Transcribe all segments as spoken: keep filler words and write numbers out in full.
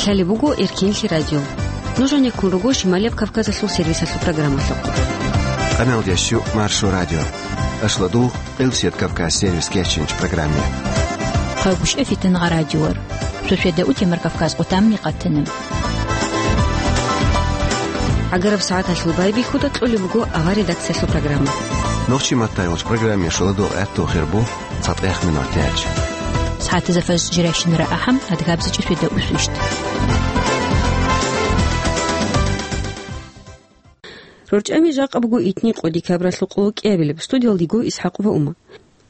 Лъалеб буго Эркинлъи радио. Нуж гьанеккун руго Шималияб Кавказалъул сервисалъул программалъухъ. Къамелдящу Маршо радио. Ашладул Къилсият Кавказ сервис кечинч программе. Хъагушев Фитнагъа радиор. Суседа утемар Кавказ къутамни къатанаб. ГӀагараб сагӀаталъул байбихьуда кьолеб буго авар редакциялъул программа. Нохчи маттайгъулч программе шоладул гӀатту хирбу цатӀех минутач. СагӀатазда фажр жирайщинара ахӀам, адгабзичӀи суседа усвищт. РорчӀами жакъа буго итни къо декабралъул къоло кӀиабилеб. Студиялдиго Исхакъова Ума.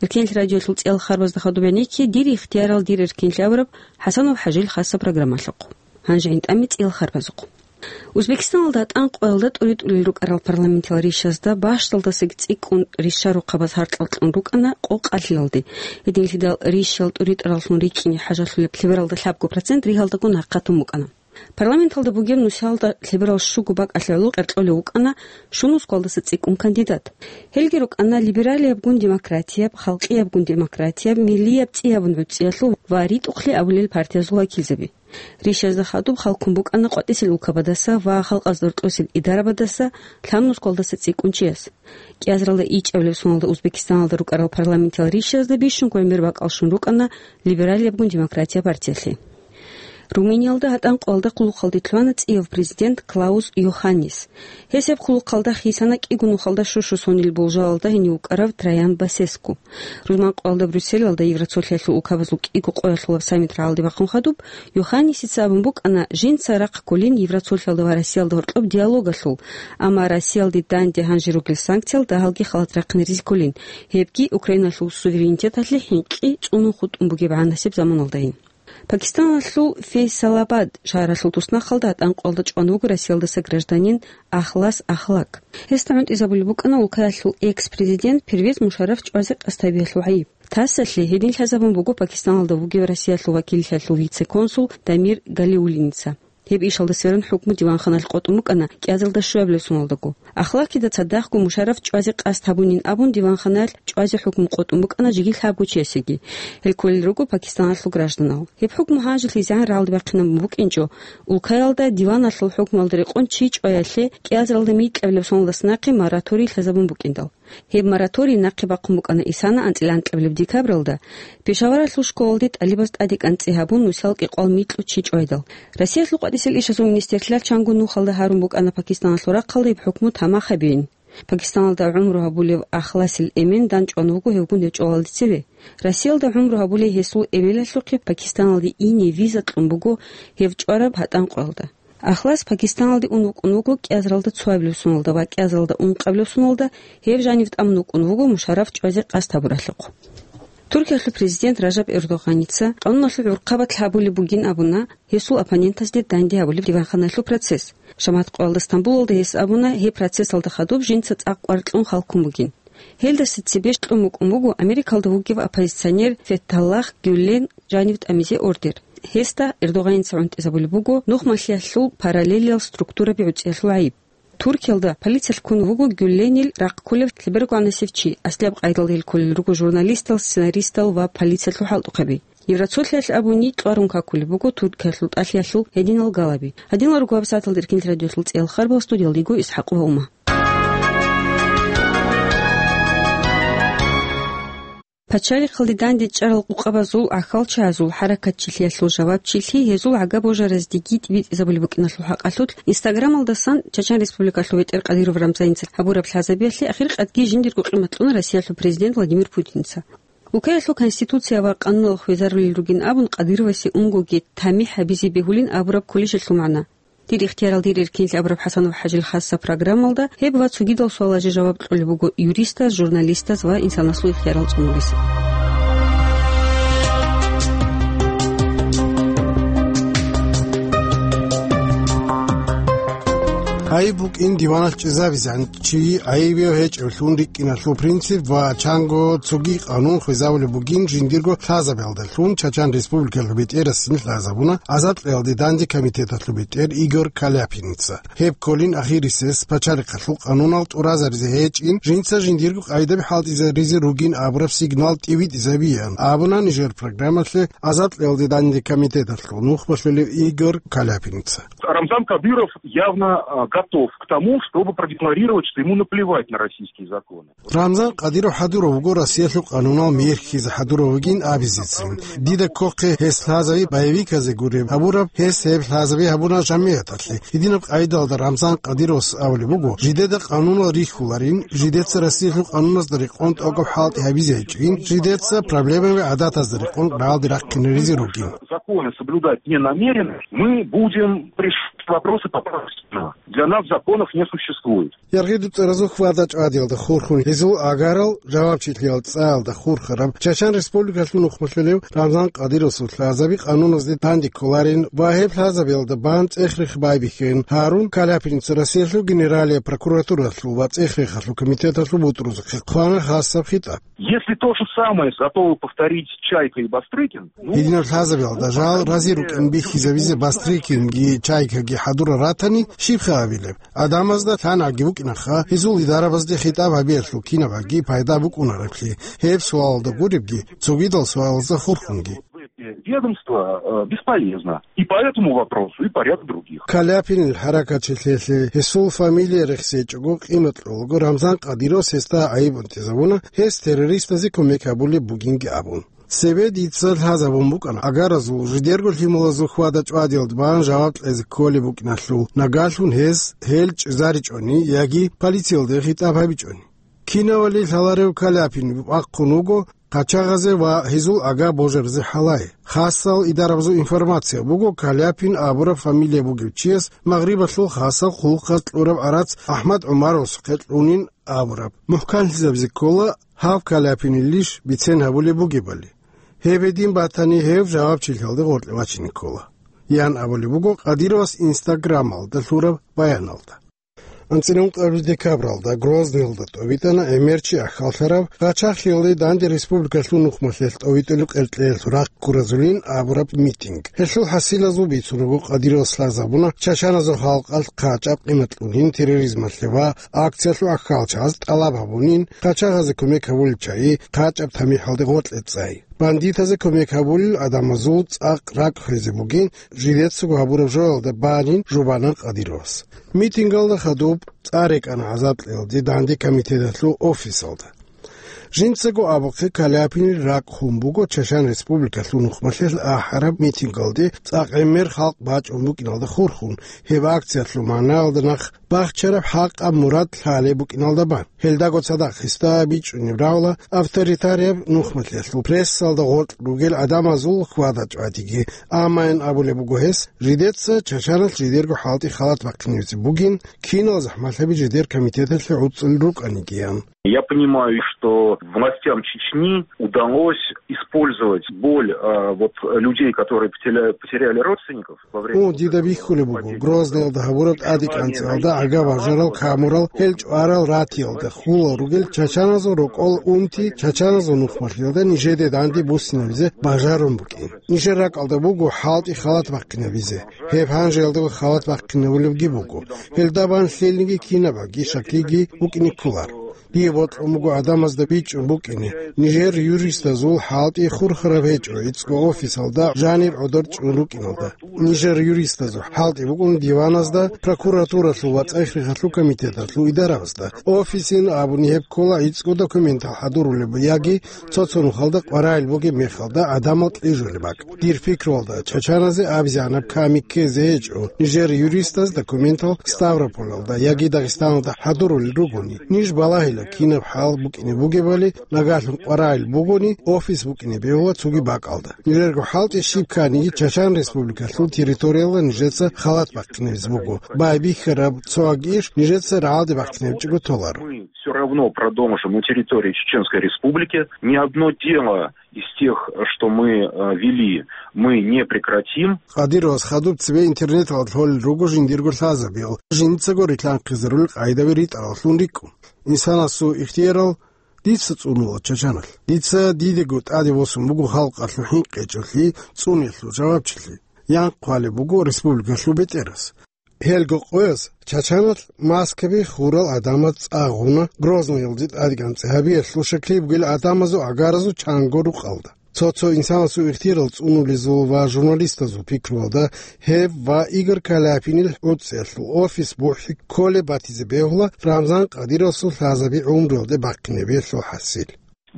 Эркинлъи радиоялъул цӀиял харбазда хадуб гӀенекке, дир ихтиярал дир эркинлъи абураб ХӀасанов ХӀажил хасаб программалъухъ. Гьанже гӀинтӀами цӀиял харбазухъ. Узбекистаналда гьатӀан къоялда тӀури-тӀурил рукӀарал парламентиял ришазда бащдалдасаги цӀикӀкӀун ришарухъабаз гьаркьал кьун рукӀана къо къалъиялде. Гьединлъидал ришал тӀури-тӀураллъун рикӀкӀине хӀажалъулеб лъебералда лъабго процент ригьалдаго нахъатун букӀана. Парламенталда бугеб нусиялда лъеберал щуго бакӀалъе гӀоло къеркьолев вукӀана щун ускалдаса цӀикӀкӀун кандидат. Гьелги рукӀана либералиябгун демократияб, халкъиябгун демократияб, миллияб цӀи абун гӀуцӀиялъул ва ритӀухълъи абулел партиязул вакилзаби. Ришазда хадуб халкун букӀана къватӀисел улкабадаса ва халкъазда рокьосел идарабадаса, лъабнусгалдаса цӀикӀкӀунчияс. КӀиазаралда ичӀабилеб соналда Узбекистаналда рукӀарал парламентиял ришазда бищун гӀемер бакӀалщун рукӀана либералиябгун демократия партиялъе. Румыниялда гьатӀан къоялда хъулухъалде лъугьана цӀияв президент Клаус Йоханнис. Гьес гьеб хъулухъалда хисана кӀиго нухалда щущу сонил болжалалда гьенив вукӀарав Траян Басеску. Рузман къоялда Брюсселалда Евроцолъиялъул улкабазул кӀиго къоялъулаб саммит рагӀалде бахъун хадуб, Йоханнисица абун букӀана жинца рахъ кколин Евроцолъиялда ва Россиялда гьоркьоб диалогалъул, амма Россиялде данде гьанже ругел санкциял дагьалги халат рахъинаризе кколин, гьебги Украиналъул суверенитеталъе хӀинкъи цӀунун хутӀун бугеб гӀанасеб заманалдайин. Пакистаналъул Фейсалабад шагьаралъул туснахъалда гьатӀан къоялда чӀван вуго Россиялдаса гражданин Ахлас Ахлак. Гьесда гӀунтӀизабулеб букӀана улкаялъул экс-президент Первез Мушарраф чӀвазе къасд гьабиялъул гӀайиб. ТАССалъе гьедин лъазабун буго Пакистаналда вугев Россиялъул вакиллъиялъул вице-консул Дамир Галиуллиница. Гьеб ишалда сверун хӀукму диванханалъ къотӀун букӀана кӀиазаралда щуабилеб соналдаго. Ахлакида цадахъго Мушарраф чӀвазе къасд гьабунин абун диванханалъ чӀвазе хӀукму къотӀун букӀана жеги лъабго чиясеги. Гьел кколел руго Пакистаналъул гражданал. Гьеб хӀукму гьанжелъизегӀан рагӀалде бахъинабун букӀинчӀо, улкаялда диваналъул хӀукмуялда рекъон чи чӀваялъе кӀиазаралда микьабилеб соналдаса нахъе мораторий лъазабун букӀиндал. Гьеб мораторий нахъе бахъун букӀана исана анцӀила анкьабилеб декабралда, Пешаваралъул школалде тӀалибаз тӀадекӀан цӀи гьабун, нусал кӀикъвал микьу чи чӀвайдал. Россиялъул къватӀисел ишазул министрлъиялъ чанго нухалда гьарун букӀана Пакистаналъул рахъалда гьеб хӀукму тамах гьабейин. Пакистаналда гӀумру гьабулев Ахласил эмен данчӀван вуго гьевгун гьев чӀвалалде цеве. Россиялда гӀумру гьабулей гьесул эбелалъухъе Пакистаналде ине виза кьун буго гьев чӀвараб гьатӀан къоялда. Ахлас Пакистаналде ун вукӀун вуго кӀиазаралда цоабилеб соналда ва кӀиазаралда ункъабилеб соналда гьев жанив тӀамун вукӀун вуго Мушарраф чӀвазе къасд гьабуралъухъ. Туркиялъул президент Ражаб Эрдогъаница къануналъул гӀурхъабат лъабулеб бугин абуна гьесул оппонентазде данде гьабулеб диванханалъул процесс. Шамат къоялда Стамбулалда гьес абуна гьеб процессалда хадуб жинца цӀакъ кӀвар кьун халкун бугин. Гьелдаса цебе кьун букӀун буго Америкалда вугев оппозиционер Феталлах Гюллен жанив тӀамизе ордер. Гьесда Эрдогъаница гӀунтӀизабулеб буго нухмалъиялъул параллелиял структураби гӀуцӀиялъул гӀайиб. Туркиялда полициялъ ккун вуго Гюлленил рахъ кколев лъебергогӀанасев чи, аслияб къайдалда гьел кколел руго журналистал, сценаристал ва полициялъул хӀалтӀухъаби. Евроцолъиялъ абуни кьварун какулеб буго Туркиялъул тӀалъиялъул гьединал галаби. Гьадинал руго гьабсагӀаталда Эркинлъи радиоялъул цӀиял харбал, студиялда йиго Исхакъова Ума. Пачалихъалде дандечӀарал къукъабазул гӀахьалчагӀазул хӀаракатчилъиялъул жавабчилъи гьезул гӀага-божараздеги тӀибитӀизабулеб букӀиналъул хӀакъалъулъ Инстаграмалдасан Чачан Республикалъул ветӀер Къадиров Рамзаница гьабураб лъазабиялъе ахиркъадги жиндирго къимат кьуна Россиялъул президент Владимир Путиница. Улкаялъул Конституция ва къануналъ хвезарулел ругин абун Къадировасе унгоги тамихӀ гьабизе бегьулин абураб кколищ гьелъул магӀна? Дир ихтиярал дир эркинлъи абураб ХӀасанов ХӀажил хасаб программалда гьеб ва цогидал суалазе жаваб кьолеб буго юристаз, журналистаз ва инсанасул ихтиярал цӀунулес. Гьай букӀин диваналъ чӀезабизан, чи гӀайибияв гьечӀевлъун рикӀкӀиналъул принцип ва чанго цоги къанун хвезабулеб бугин жиндирго лъазабиялдалъун Чачан Республикалъул бетӀерасин лъазабуна азадкьеялде данде комитеталъул бетӀер Игорь Каляпиница. Гьеб кколин ахирисес пачалихъалъул къанунал тӀуразаризе гьечӀин, жинца жиндирго къайдаби хӀалтӀизаризе ругин абураб сигнал тӀибитӀизабиян абуна нижер программалъе азадкьеялде данде комитеталъул нухмалъулев Игорь Каляпиница. Рамзан Кадыров явно, а, готов к тому, чтобы продекларировать, что ему наплевать на российские законы. Рамзан Кадыров хӀадурав вуго Россиялъул къанунал мехьизе хӀадурав вугин абизецин. Дида ккохъе гьес лъазаби боевиказе гуреб гьабураб, гьес гьеб лъазаби гьабуна жамигӀаталъе. Гьединаб къайдалда Рамзан Кадыровас абулеб буго, жидеда къанунал рихьуларин, жидеца Россиялъул къануназда рекъон тӀокӀаб хӀалтӀи гьабизе гьечӀин, жидеца проблемаби гӀадатазда рекъон рагӀалде рахъинаризе ругин. Законы соблюдать не намерены, мы будем решать вопросы по праву. Для нас законов не существует. Яргъи дуцӀаразул хьвада-чӀвадиялда хурхун гьезул агарал жавабчилъиялда цӀаялда хурхараб Чачан Республикалъул нухмалъулев Рамзан Кадыровасул лъазаби къануназде данде кколарин ва гьеб лъазабиялда бан цӀех-рех байбихьин гьарун Каляпиница Россиялъул Генералияб прокуратуралъул ва цӀех-рехалъул комитеталъул бутӀрузухъе хъвана хасаб хитӀаб. Если то же самое готовы повторить Чайка и Бастрыкин, ну, Гьединаб лъазабиялда жал рази рукӀин бихьизабизе Бастрыкинги Чайкаги хӀадурал ратани, щибха абилеб? Адамазда лъанагӀги букӀинаха, гьезул идарабазде хитӀаб гьабиялъул кинабгӀаги пайда букӀунареблъи, гьеб суалалда гуребги, цогидал суалазда хурхунги. Ведомство, э, бесполезно. И по этому вопросу, и по ряду других. Каляпинил хӀаракатчилъиялъе гьесул фамилия рехсечӀого къимат кьолаго Рамзан Кадыровас гьесда гӀайиб унтизабуна, гьес террористазе кумек гьабулеб бугинги абун. Цебе дица лъазабун букӀана агаразул жидерго лъималазул хьвада-чӀвадиялда бан жаваб кьезе кколеб букӀиналъул, нагагьлъун гьез гьел чӀезаричӀони яги полициялде хитӀаб гьабичӀони. Кинавали лъаларев Каляпин бахъун вуго къачагъазе ва гьезул ага божаризе хӀалай, хасал идарабазул информация буго Каляпин абураб фамилия бугев чияс Магърибалъул хасал хъулухъаз кьураб гӀарац АхӀмад ГӀумаровасухъе кьунин абураб. МухӀканлъизабизе ккола гьав Каляпинилищ бицен гьабулеб бугебали. Гьеб гьедин батани, гьев жавабчилъиялде гъоркье вачине ккола, ян абулеб буго Кадыровас Инстаграмалда лъураб баяналда. АнцӀила ункъабилеб декабралда Грозныйалда тӀовитӀана гӀемерчи ахьаллъараб, къачагълъиялде данде республикалъул нухмалъулъ тӀовитӀулеб къеркьеялъул рахъ гуразулин абураб митинг. Гьелъул хӀасилазул бицун руго Кадыровас лъазабуна чачаназул халкъалъ хъачӀаб къимат кьунин терроризмалъе ва акциялъул ахьалчагӀаз тӀалаб гьабунин, къачагъазе кумек гьабулел чагӀи хъачӀаб тамихӀалде гъоркье цӀай. Бандитазе кумек гьабулел адамазул цӀакъ ракӀ хвезе бугин, жидецаго гьабураб жоялда банин жубанан Кадыровас. Митингалда хадуб цӀар рекӀана гӀазаб кьеялде данде комитеталъул офисалда. Жинцаго абухъе, Каляпинил ракӀ хун буго Чачан Республикалъул нухмалъулъ ахӀараб митингалде цӀакъ гӀемер халкъ бачӀун букӀиналда хурхун, гьеб акциялъул магӀнаялда нах бахчараб хӀакъаб мурад лъалеб букӀиналда бан. Гьелдаго цадахъ гьесда бичӀчӀунеб равла авторитарияб нухмалъулъ прессалда гъоркь ругел гӀадамазул хьвада-чӀвадиги, амма ян абулеб буго гьес, жидеца чачаналъ жидерго хӀалтӀи халат бахъиневизе бугин, кинал захӀмалъаби жидер комитеталъе гӀуцӀулел рукӀанигиян. Я понимаю, что властям Чечни удалось использовать боль, а, вот, людей, которые потеря-, потеряли родственников во время Гьу, вот дида этого бихьулеб буго, нападения. Грозныйалда гьабураб тӀадекӀанцӀиялда гӀага бажарал камурал, гьел чӀварал ратиялда хулал ругел чачаназул рокъол унти, чачаназул нухмалъиялда нижеде данде буссинабизе бажарун букӀин. Нижер ракӀалда буго хӀалтӀи халат бахъинабизе. Гьеб гьанжеялдаго халат бахъинабулебги буго. Гьелда бан лъелниги кинабаги шаклиги букӀине кколар. Дие бокьун буго гӀадамазда бичӀчӀун букӀине, нижер юристазул хӀалтӀи хурхараб гьечӀо гӀицӀго офисалда жанир гӀодор чӀун рукӀиналда. Нижер юристазул хӀалтӀи букӀун диваназда, прокуратуралъул ва цӀех-рехалъул комитеталъул идарабазда. Офисин абуни гьеб ккола гӀицӀго документал хӀадурулеб яги цо-цо нухалда къваригӀел бугеб мехалда гӀадамал кьижулеб бакӀ. Дир пикруялда, чачаназе абизегӀанаб ками ккезе гьечӀо нижер юристаз документал Ставрополалда яги Дагъистаналда хӀадурулел ругони. Ниж балагьила, кинаб хӀал букӀине бугебали, нагагьлъун къваригӀел бугони, офис букӀине бегьула цоги бакӀалда. Нижерго хӀалтӀи щиб кканиги Чачан Республикалъул территориялда нижеца халат бахъинабизе буго. Байбихьараб цоги иш нижеца рагӀалде бахъинабичӀого толаро. Мы всё равно продолжим на территории Чеченской Республики. Ни одно дело Из тех, что мы, э, вели, мы не прекратим. Къадировас хадуб цебе интернеталда лъолел руго жиндирго лъазабиял, жинцаго рилълъанхъизарулел къайдаби ритӀараллъун рикӀкӀун. Инсанасул ихтиярал дица цӀунула Чачаналъ. Дица дидего тӀаде восун буго халкъалъул хӀинкъичӀелъи, цӀунелъул жавабчилъи. Янхъ хъвалеб буго республикалъул бетӀерас. Гьелго къояз Чачаналъ Москваби хурал гӀадамаз цӀа гъуна, Грозныйалде тӀадегӀан цӀи гьабиялъул щеклъи бугел гӀадамазул гӀагаразул чанго рукъалда. Цо-цо инсанасул ихтиярал цӀунулезул ва журналистазул пикруялда гьеб ва Игорь Каляпинил гӀуцӀиялъул офис бухӀи кколеб батизе бегьула Рамзан Къадировасул лъазаби гӀумруялде бахъинебиялъул хӀасил.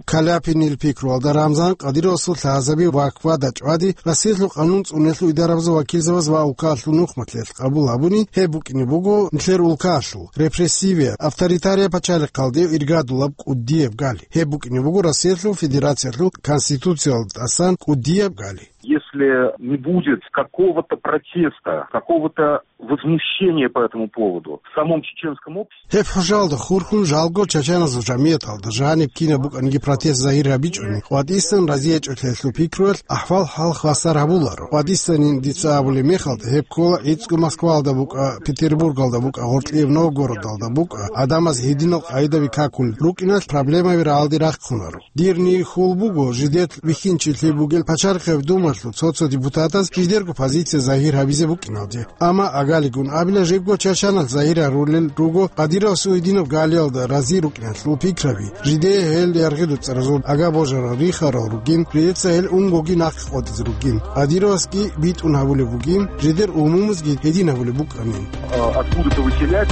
Каляпинил пикруялда Рамзан Къадировасул лъазаби ва квада чӀвади Россиялъул къанун цӀунулъул идарабазул вакилзабаз ва улкаялъул нухматлъиялъ къабул гьабуни, гьеб букӀине буго нилъер улкаялъул репрессивия, авторитария пачалихъалде иргадулаб кӀудияб гали. Гьеб букӀине буго Россиялъул Федерациялъул Конституциялда тӀасан кӀудияб гали. Если не будет какого-то протеста, какого-то возмущения по этому поводу в самом чеченском обществе, Гьеб хӀужалда хурхун жалго чачаназул жамияталда жаниб кинаб букӀаниги протест загьир гьабичӀони, ва дисан разиячӀолъиялъул пикруялъ ахӀвал-хӀал хвасар гьабуларо. Ва дисан дица абулеб мехалда гьеб ккола гӀицӀго Москвалда букӀа, Петербургалда букӀа, гъоркьияб Новгородалда букӀа, гӀадамаз гьединал къайдаби какулел рукӀиналъ проблемаби рагӀалде рахъунаро. Дирни хьул буго, жидер вихьинчилъи бугел Пачалихъеб Думалъул цо-цо депутатаз жидерго позиция загьир гьабизе букӀиналде. Амма агалигун абила, жибго чачаналъ загьир гьарулел руго Къадировасул гьединаб галиялда рази рукӀиналъул пикраби. Жидее гьел яргъи-дуцӀаразул ага-божарал рихарал ругин, жидеца гьел унгоги нахъе къотӀизе ругин. Къадировасги битӀун гьабулеб бугин, жидер умумузги гьедин гьабулеб букӀанин. А, откуда-то выселять.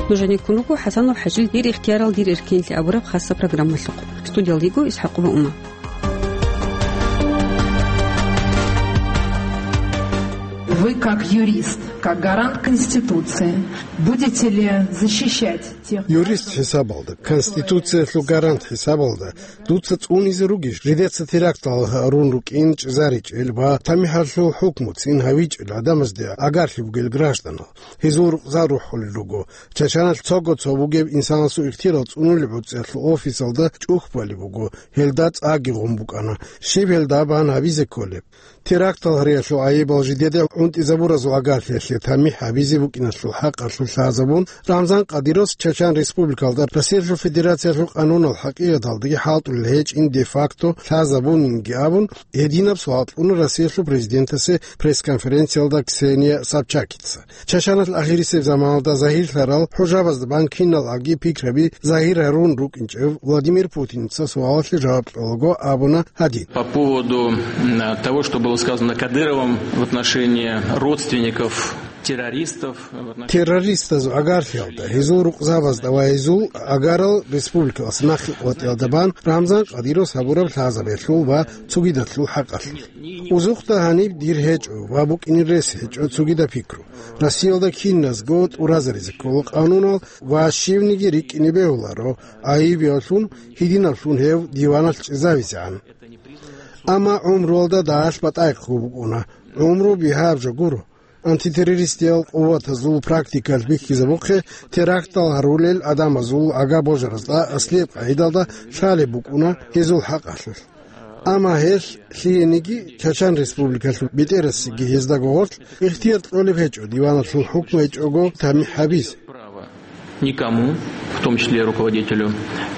Нужениккун руго ХӀасанов ХӀажил «Дир ихтиярал, дир эркенлъи» абураб хасса программалъухъ. Студиялда йиго ИсхӀакъова Ума. Вы, как юрист, как гарант Конституции, будете ли защищать тех... Юрист хӀисабалда, Конституциялъул гарант хӀисабалда, дуца цӀунизе ругищ, жидеца терактал гьарун рукӀин чӀезаричӀел ва тамихӀалъул хӀукму цин гьавичӀел гӀадамазде агарлъи бугел гражданал? Гьезул рукъзал рухӀулел руго. Чачаналъ цого-цо бугеб инсанасул ихтиярал цӀунулеб гӀуцӀиялъул офисалда чӀухь балеб буго, гьелда цӀаги гъун букӀана. Щиб гьелда бан гьабизе кколеб? Терактал гьариялъул гӀайибал жидеде гӀунтӀизабуразул агарлъиялъе тамихӀ гьабизе букӀиналъул хӀакъалъулъ лъазабун, Рамзан Къадировас Чачан Республикалда Россиялъул Федерациялъул къанунал хӀакъикъаталдаги хӀалтӀулел гьечӀин де-факто лъазабунинги абун, гьединаб суал кьуна Россиялъул президентасе пресс-конференциялда Ксения Собчакица. Чачаналъ ахирисеб заманалда загьирлъарал хӀужабазда бан киналги пикраби загьир гьарун рукӀинчӀев Владимир Путиница суалалъе жаваб кьолаго абуна гьадин. По поводу, м, того, что было сказано Кадыровым в отношении родственников террористов, в отношении... Террористазул агарлъиялда, гьезул рукъзабазда ва гьезул агарал республикалас нахъе къотӀиялда бан Рамзан Къадировас гьабураб лъазабиялъул ва цогидалъул хӀакъалъулъ. Узухъда гьаниб дир гьечӀо ва букӀинел рес гьечӀо цогидаб пикру. Россиялда киназго тӀуразаризе ккола къанунал ва щивниги рикӀкӀине бегьуларо, гӀайибиялъун, гьединаблъун гьев диваналъ чӀезавизегӀан. Амма гӀумруялда дагьалъ батӀайхъго букӀуна, гӀумру бигьаб жо гуро. Антитеррористиял къуватазул практикалъ бихьизабухъе, терактал гьарулел гӀадамазул ага божаразда аслияб къагӀидалда лъалеб букӀуна гьезул хӀакъалъулъ. Амма гьелъ лъиениги Чачан Республикалъул бетӀерасеги гьездаго гъорлъ ихтияр кьолеб гьечӀо диваналъул хӀукму гьечӀого тамихӀ гьабизе. Никому, в том числе руководителю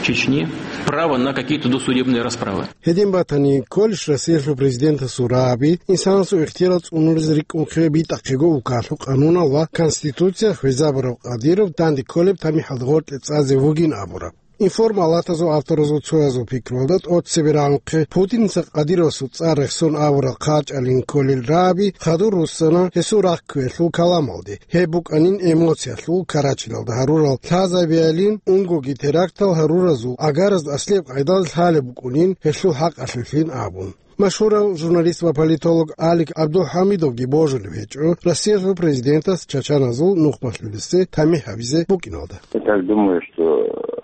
Чечни, право на какие-то досудебные расправы. Гьедин батани, кколищ Россиялъул президентасул рагӀаби, инсанасул ихтияр цӀунулез рикӀкӀунхъе битӀахъего улкалъул къанунал ва Конституция хвезабурав Къадиров данде кколеб тамихӀалда гъоркье цӀазе вугин абураб. Информалатазул авторазул цоязул пикруялда тӀоцебе рагӀунхъе, Путиница Къадировасул цӀар рехсон авурал хъачӀалин кколел рагӀаби хадур руссана гьесул рахъ кквелъул каламалде. Гьеб букӀанин эмоциялъул карачиналда гьарурал лъазабиялин, унгоги терактал гьаруразул агаразда аслияб къайдал лъалеб букӀунин гьелъул хӀакъалъулъин абун. Машгьурав журналист ва политолог Алик ГӀабдулхӀамидовги божулеб гьечӀо Россиялъул президентас чачаназул нухмалъулесе тамихӀ гьабизе букӀиналда. Я так думаю, что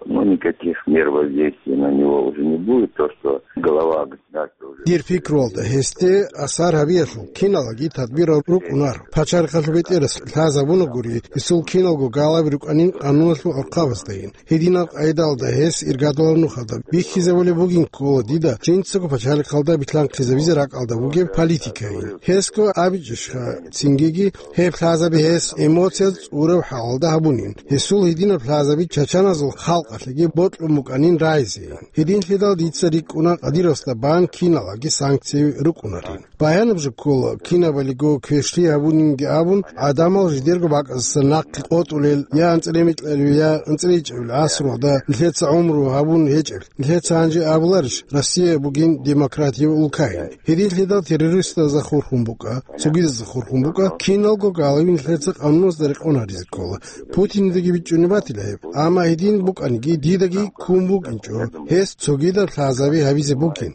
Ну, никаких мер воздействия на него уже не будет, то, что глава государства уже... Дир пикруялда, гьесде асар гьабиялъул киналги тадбирал рукӀунар. Пачалихъалъул бетӀерас лъазабуна гури, гьесул киналго галаби рукӀанин къануналъул гӀурхъабаздайин. Гьединаб къайдалда гьес иргадулаб нухалда бихьизабулеб бугин ккола дида жинцаго пачалихъалда билълъанхъизабизе ракӀалда бугеб политикайин. Гьесго абичӀищха, цингиги гьеб лъазаби гьес эмоцияз цӀураб хӀалалда гьабунин. Гьесул гьединаб лъазаби чачаназул халкъалъеги бокьун букӀанин рагӀизейин. Гьединлъидал дица рикӀкӀуна Кадыровасда бан киналаги санкцияби рукӀунарин. Баянаб жо ккола, кинабалиго квешлъи гьабунинги абун, гӀадамал жидерго бакӀаздаса нахъе къотӀулел, я анцӀила микьабилеб, я анцӀила ичӀабилеб гӀасруялда нилъеца гӀумру гьабун гьечӀеб. Нилъеца гьанже абуларищ, Россия бугин демократияб улкайин? Гьединлъидал террористазда хурхун букӀа, цогидазда хурхун букӀа, киналго галаби нилъеца къануназда рекъон гьаризе ккола. Путиндаги бичӀчӀунеб батила гьеб. Амма гьедин букӀаниги, дидаги ккун букӀинчӀо гьес цогидаб лъазаби гьабизе бугин.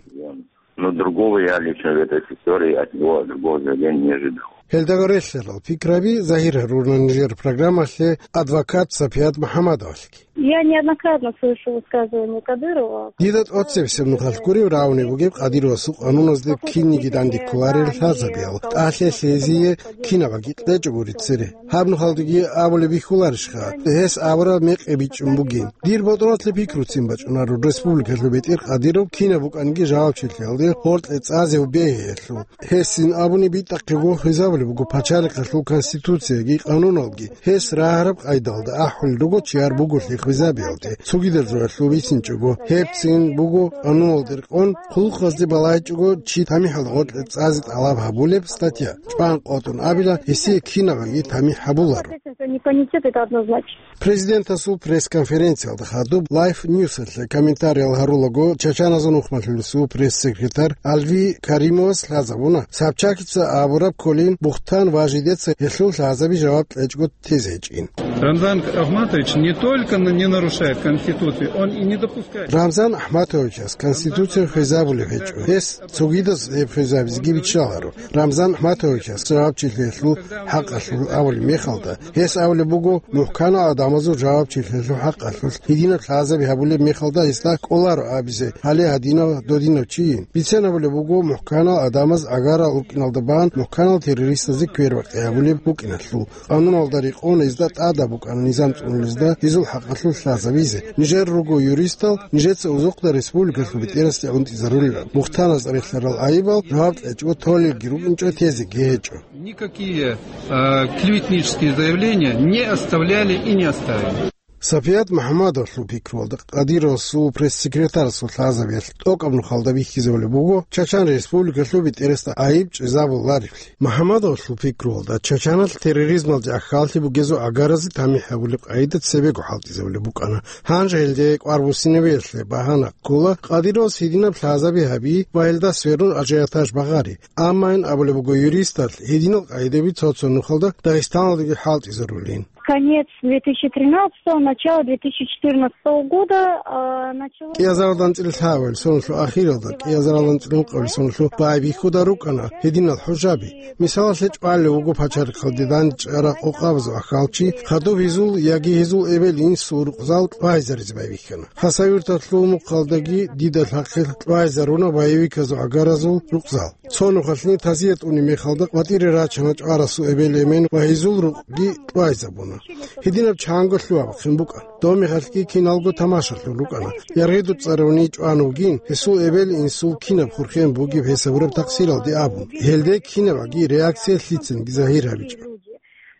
Но другого я лично в этой истории от него, другого заявления не ожидал. Гьелдаго релълъарал пикраби загьир гьаруна нижер программалъе адвокат Сапият МухӀаммадовалъги. Я неоднократно слышу высказывания Кадырова. Дида тӀоцебесеб нухалъ гуреб равни бугеб Кадыровасул къануназде кинниги данде кколарел лъазабиял, тӀалъи лъезие кинабаги кьечӀого рицере. Гьаб нухалдаги абулеб бихьуларищха, гьес абураб мекъи бичӀчӀун бугин? Дир ботӀролъе пикруцин бачӀунаро республикалъул бетӀер Кадыров кинаб букӀаниги жавабчилъиялде гъоркье цӀазе бегьиялъул. Гьесин абуни битӀахъего хвезабулеб буго пачалихъалъул конституцияги къануналги. Гьес рагьараб къайдалда ахӀулел руго чияр буголъи хвезабиялде. Цогидал жоялъул бицинчӀого, гьебцин буго къануналде рекъон, хъулухъазде балагьичӀого чи тамихӀалда гъоркье цӀазе тӀалаб гьабулеб статья чӀван къотӀун абила, гьесие кинабаги тамихӀ гьабуларо. Непонятет, это однозначно. Президентасул пресс-конференциялда хадуб Life News-алъе комментариял гьарулаго, чачаназул нухмалъулесул пресс-секретарь Алви Каримовас лъазабуна, Собчакица абураб кколин Бухтан Важидеца гьелъул лъазаби жаваб кьечӀого тезе гьечӀин. Рамзан Ахматович не только на-, не нарушает Конституцию, он и не допускает. Рамзан Ахматовичас Конституция хвезабулеб гьечӀо. Гьес цогидаз гьеб хвезабизеги биччаларо. Рамзан Ахматовичас жавабчилъиялъул хӀакъалъулъ абулеб мехалда, гьес абулеб буго, мухӀканал гӀадамазул жавабчилъиялъул хӀакъалъулъ гьединаб лъазаби гьабулеб мехалда гьесда кӀоларо абизе, гьале гьадинав додинав чийин. Бицен абулеб буго, мухӀканал гӀадамаз гӀагарал рукӀиналда бан мухӀканал террористазе квербакъи гьабулеб букӀиналъул. Къануналда рекъон гьезда тӀадаб букӀана низам цӀунулезда гьезул хӀакъалъулъ лъазабизе. Нижер руго юристал, нижеца узухъда республикалъул бетӀерасде гӀунтӀизарулила. Бухтанас релълъарал гӀайибал жаваб кьечӀого толелги рукӀинчӀо, тезеги гьечӀо. Никакие, э, клеветнические заявления не оставляли и не оставили. Сапият МухӀаммадовалъул пикруялда, Кадыровасул пресс-секретарасул лъазабиялъ тӀокӀаб нухалда бихьизабулеб буго Чачан Республикалъул бетӀерасда гӀайиб чӀезабулареблъи. МухӀаммадовалъул пикруялда, Чачаналъ терроризмалде ахьаллъи бугезул гӀагаразе тамихӀ гьабулеб къайда цебего хӀалтӀизабулеб букӀана. Гьанже гьелде кӀвар буссинабиялъе багьана ккола Кадыровас гьединаб лъазаби гьаби ва гьелда сверун ажиотаж багъари. Амма ин абулеб буго юристалъ, гьединал къайдаби цо-цо нухалда Дагъистаналдаги хӀалтӀизарулин. Конец две тысячи тринадцатого, начало две тысячи четырнадцатого года, а, начало... КӀиазаралда анцӀила лъабабилеб соналъул ахиралда, кӀиазаралда анцӀила ункъабилеб соналъул байбихьуда рукӀана гьединал хӀужаби. Мисалалъе чӀвалев вуго пачалихъалде дандчӀвараб къокъабазул ахьалчи, хадуб гьезул яги гьезул эбел-инсул рукъзал тӀвайзаризе байбихьана. Хасавюрталъул мухъалдаги дида лъахъе тӀвайзаруна боевиказул гӀагаразул рукъзал. Цо нухалъни тазият унеб мехалда къватӀире рачана чӀварасул эбел-эмен ва гьезул рукъги тӀвайзабуна. Гьединаб чанго лъугьа-бахъин букӀана. Доб мехалъги киналго тамашалъун рукӀана. Яргъи дуцӀаравни чӀван вугин, гьесул эбел-инсул кинаб хурхен бугеб гьесабураб такъсиралде абун. Гьелде кинабаги реакция лъицанги загьир гьабичӀо.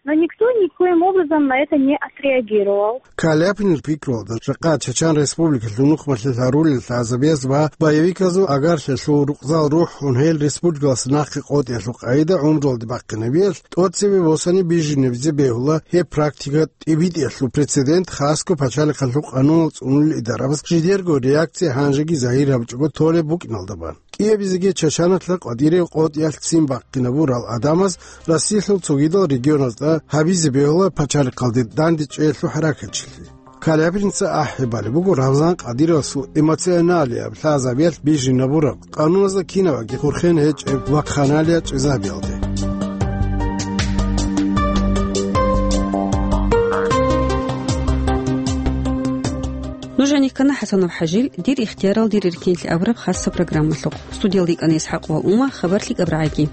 Но никто никоим образом на это не отреагировал. Каляпинил пикруялда, жакъа Чачан Республикалъул нухмалъе лъарулел лъазабияз ва боевиказул агарлъиялъул рукъзал рухӀун гьел республикалас нахъе къотӀиялъул къайда гӀумруялде бахъинабиялъ, тӀоцебе босани бижинабизе бегьула гьеб практика тӀибитӀиялъул прецедент хасго пачалихъалъул къанунал цӀунулел идарабаз жидерго реакция гьанжеги загьир гьабичӀого толеб букӀиналда бан. КӀиабизеги Чачаналъа къватӀире къотӀиялъ ццин бахъинабурал гӀадамаз Россиялъул цогидал регионазда гьабизе бегьула пачалихъалде дандечӀеялъул хӀаракатчилъи. Калябинца ахӀи балеб буго Рамзан Кадыровасул эмоционалияб лъазабиялъ бижинабураб, къануназда кинабаги хурхен гьечӀеб вакханалия чӀезабиялде. Нуж гьанихьана ХӀасанов ХӀажил «Дир ихтиярал дир эркинлъи» абураб хасса программалъухъ. Студиялда йикӀана ИсхӀакъ ва Ума, хабар лъикӀаб рагӀаги.